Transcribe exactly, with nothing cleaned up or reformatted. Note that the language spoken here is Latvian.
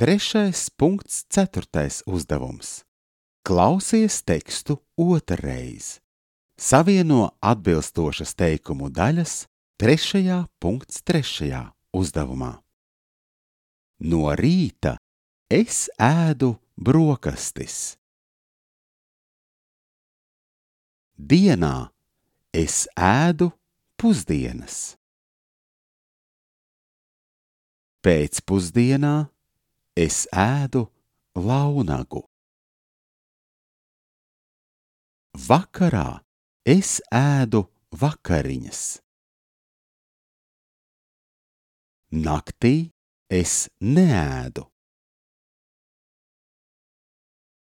Trešais punkts, ceturtais uzdevums. Klausies tekstu otrreiz. Savieno atbilstošas teikumu daļas trešajā punkts trešajā uzdevumā. No rīta es ēdu brokastis. Dienā es ēdu pusdienas. Pēcpusdienā es ēdu launagu. Vakarā es ēdu vakariņas. Naktī es neēdu.